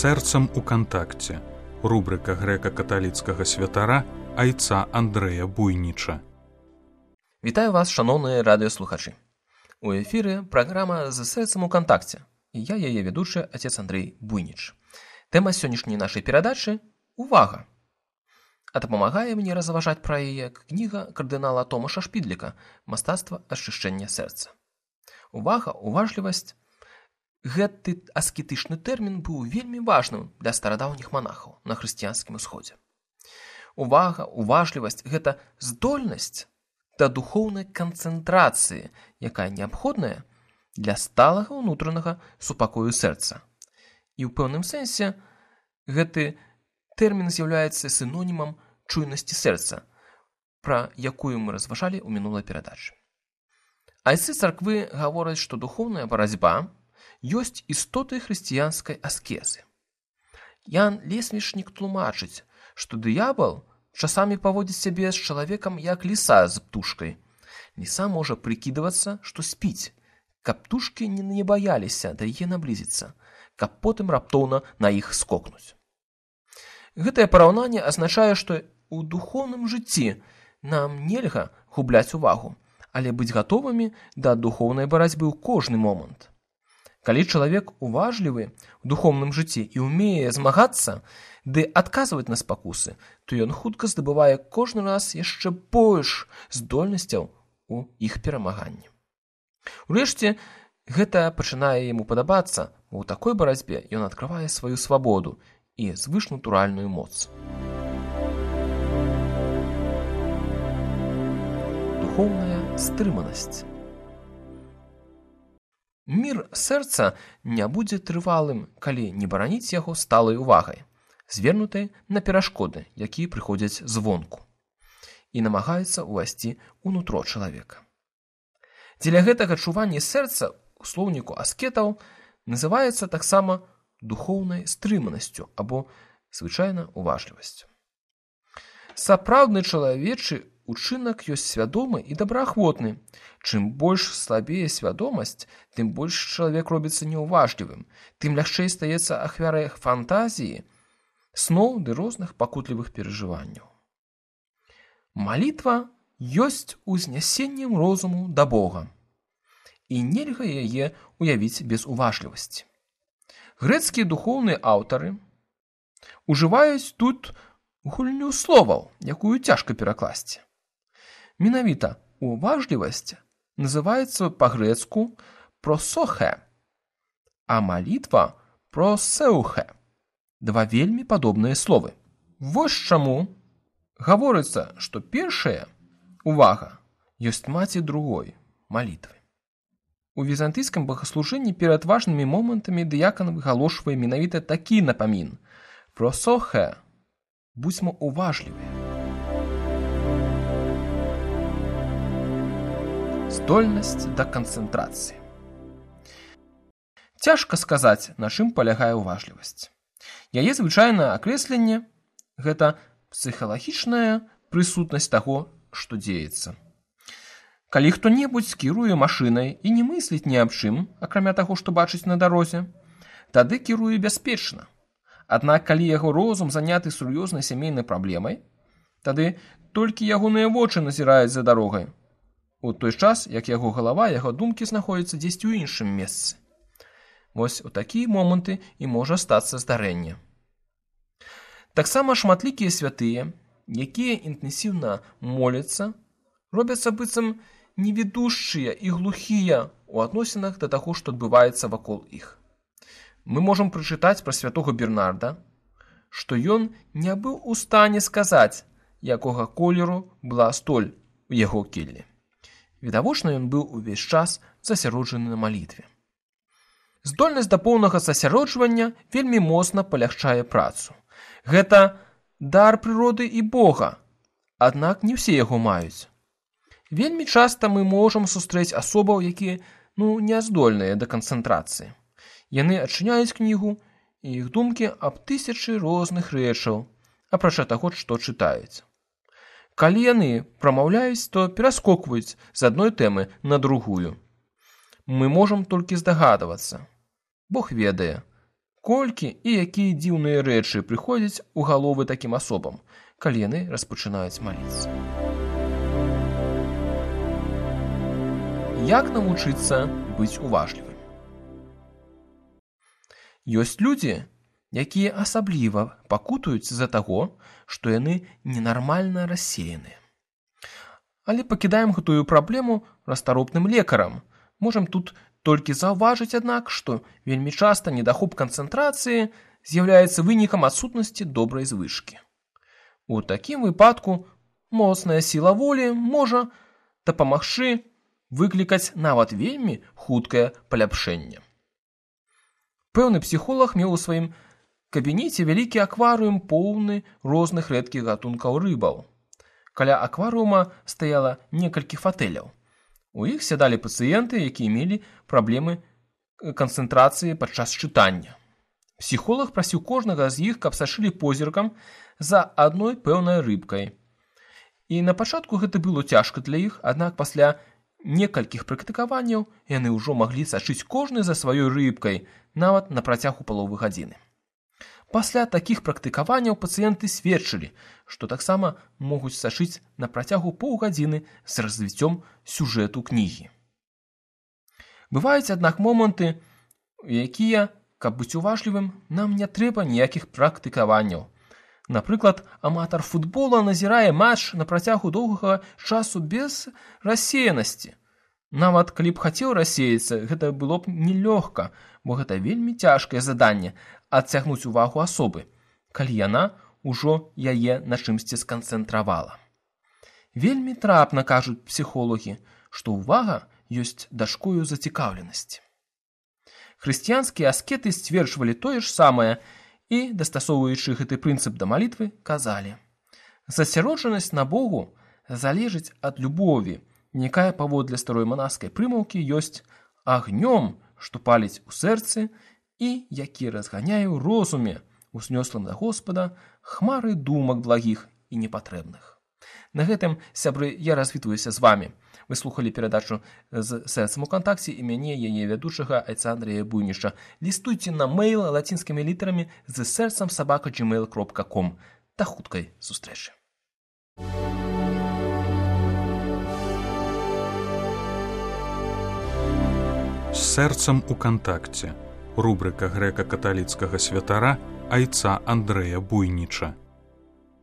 Сэрцам у кантакце. Рубрика грэка-каталіцкага святара айца Андрэя Буйніча. Вітаю вас, шановныя радыёслухачы. У эфіры праграма «З сэрцам у кантакце». І я яе ведучы, отец Андрей Буйніч. Тэма сённяшняй нашай перадачы – увага. А дапамагае мне разважаць пра яе кніга кардынала Томаша Шпідліка «Мастацтва ачышчэння сэрца». Увага, уважлівасць. Гэты аскетычны тэрмін быў вельмі важным для старадаўніх манахаў на хрысціянскім усходзе. Увага, уважлівасць – гэта здольнасць да духоўнай канцэнтрацыі, якая неабходная для сталага ўнутранага супакою сэрца. І ў пэўным сэнсе гэты тэрмін з'яўляецца сінонімам чуйнасці сэрца, пра якую мы разважалі ў мінулай перадачы. Айцы царквы гавораць, што духоўная барацьба ёсць істотай хрысціянскай аскезы. Ян Лесвічнік тлумачыць, што дыябал часамі паводзіць сябе з чалавекам як ліса з птушкай. Ліса можа прыкідвацца, што спіць, каб птушкі не баяліся да яе наблізіцца, каб потым раптоўна на іх скокнуць. Гэтае параўнанне азначае, што ў духоўным жыцці нам нельга губляць увагу, але быць гатовымі да духоўнай барацьбы ў кожны момант. Калі чалавек уважлівы ў духоўным жыцці і ўмее змагацца ды адказваць на спакусы, то ён хутка здабывае кожны раз яшчэ больш здольнасцяў у іх перамаганні. Урэшце, гэта пачынае яму падабацца, бо ў такой барацьбе ён адкрывае сваю свабоду і звышнатуральную моц. Духоўная стрыманасць. Мір сэрца не будзе трывалым, калі не бараніць яго сталай увагай, звернутай на перашкоды, якія прыходзяць звонку, і намагаецца ўвайсці ўнутро чалавека. Дзеля гэтага чуванне сэрца у слоўніку аскетаў называецца таксама духоўнай стрыманасцю або звычайна уважлівасцю. Сапраўдны чалавечы учынак ёсць свядомы і добраахвотны. Чым больш слабее свядомасць, тым больш чалавек робіцца неуважлівым, тым лягчэй стаецца ахвярай фантазіі, сноў ды розных пакутлівых перажыванняў. Малітва ёсць узнясеннем розуму да Бога, і нельга яе уявіць без уважлівасці. Грэцкія духоўныя аўтары ужываюць тут гульню словаў, якую цяжка перакласці. Менавіта уважлівасць называецца па-грэцку просохе, а малітва просеухе. Два вельмі падобныя словы. Вось чаму гаворыцца, што першая увага ёсць маці другой малітвы. У візантыйскім богаслужэнні перад важнымі момантамі дыякан выгалошвае менавіта такі напамін: просохе, будзьмо уважлівыя. Здольнасць да канцэнтрацыі. Цяжка сказаць, на чым палягае уважлівасць. Яе звычайнае акрэсленне – гэта псіхалагічная прысутнасць таго, што дзеецца. Калі хто-небудзь кіруе машынай і не мысліць ні аб чым, акрамя таго, што бачыць на дарозе, тады кіруе бяспечна. Аднак, калі яго розум заняты сур'ёзнай сямейнай праблемай, тады толькі ягоныя вочы назіраюць за дарогай, у той час, як яго галава, яго думкі знаходзяцца дзесьці ў іншым месцы. Вось у такія моманты і можа стацца здарэнне. Таксама шматлікія святыя, якія інтэнсіўна моляцца, робяцца быццам невідушчыя і глухія ў адносінах да таго, што адбываецца вакол іх. Мы можам прачытаць пра святога Бернарда, што ён не быў у стане сказаць, якога колеру была столь у яго келлі. Відавочна, ён быў увесь час засяроджаны на малітве. Здольнасць да поўнага засяроджвання вельмі моцна палягчае працу. Гэта дар прыроды і Бога, аднак не ўсе яго маюць. Вельмі часта мы можам сустрэць асобаў, якія, не здольныя да канцэнтрацыі. Яны адчыняюць кнігу, і іх думкі аб тысячы розных рэчаў, апрача таго, што чытаюць. Калі яны прамаўляюць, то пераскокваюць з адной тэмы на другую. Мы можам толькі здагадвацца. Бог ведае, Колькі і якія дзіўныя рэчы прыходзяць у галовы такім асобам, калі яны распачынаюць маліцца. Як навучыцца быць уважлівым? Ёсць людзі, якія асабліва пакутуюць з-за таго, што яны ненармальна рассеяныя. Але пакідаем гэтую праблему раstaropным лекарам. Можам тут толькі заўважыць, аднак, што вельмі часта недахоп канцэнтрацыі з'яўляецца вынікам адсутнасці добрай звычкі. У такім выпадку моцная сіла волі можа дапамагчы выклікаць нават вельмі хуткае паляпшэнне. Пэўны псіхолог меў у сваім кабінеце вялікі акварыум поўны розных рэдкіх гатункаў рыбаў. Каля акварыума стаяла некалькі фатэляў. У іх сядалі пацыенты, якія мелі праблемы канцэнтрацыі падчас чытання. Псіхолог прасіў кожнага з іх, каб сачылі позіркам за адной пэўнай рыбкай. І на пачатку гэта было цяжка для іх, аднак пасля некалькіх практыкаванняў яны ўжо маглі сачыць кожны за сваёй рыбкай, нават на працягу паловы гадзіны. Пасля такіх практыкаванняў пацыенты сведчылі, што таксама могуць сачыць на працягу паўгадзіны з развіццём сюжэту кнігі. Бываюць, аднак, моманты, якія, каб быць уважлівым, нам не трэба ніякіх практыкаванняў. Напрыклад, аматар футбола назірае матч на працягу доўгага часу без рассеянасці. Нават калі б хацеў рассеяцца, гэта было б нелёгка, бо гэта вельмі цяжкае заданне адцягнуць увагу асобы, калі яна ўжо яе на чымсьці сканцэнтравала. Вельмі трапна кажуць псіхолагі, што ўвага ёсць дачкою зацікаўленасці. Хрысціянскія аскеты сцверджвалі тое ж самае і, дастасоўваючы гэты прынцып да малітвы, казалі: засяроджанасць на Богу залежыць ад любові, якая паводле старой манаскай прымаўкі ёсць агнём, што паліць у сэрцы і які разганяе ў розуме, узнёслым да Господа, хмары думак благіх і непатрэбных. На гэтым, сябры, я развітваюся з вамі. Вы слухалі перадачу з сэрцам у кантакце і мяне, яе вядучага айца Андрэя Буйніча. Лістуйце на мэйл лацінскімі літарамі з sercam@gmail.com. Да хуткай сустрэчы. З сэрцам у кантакце. Рубрика грэка-каталіцкага святара айца Андрэя Буйніча.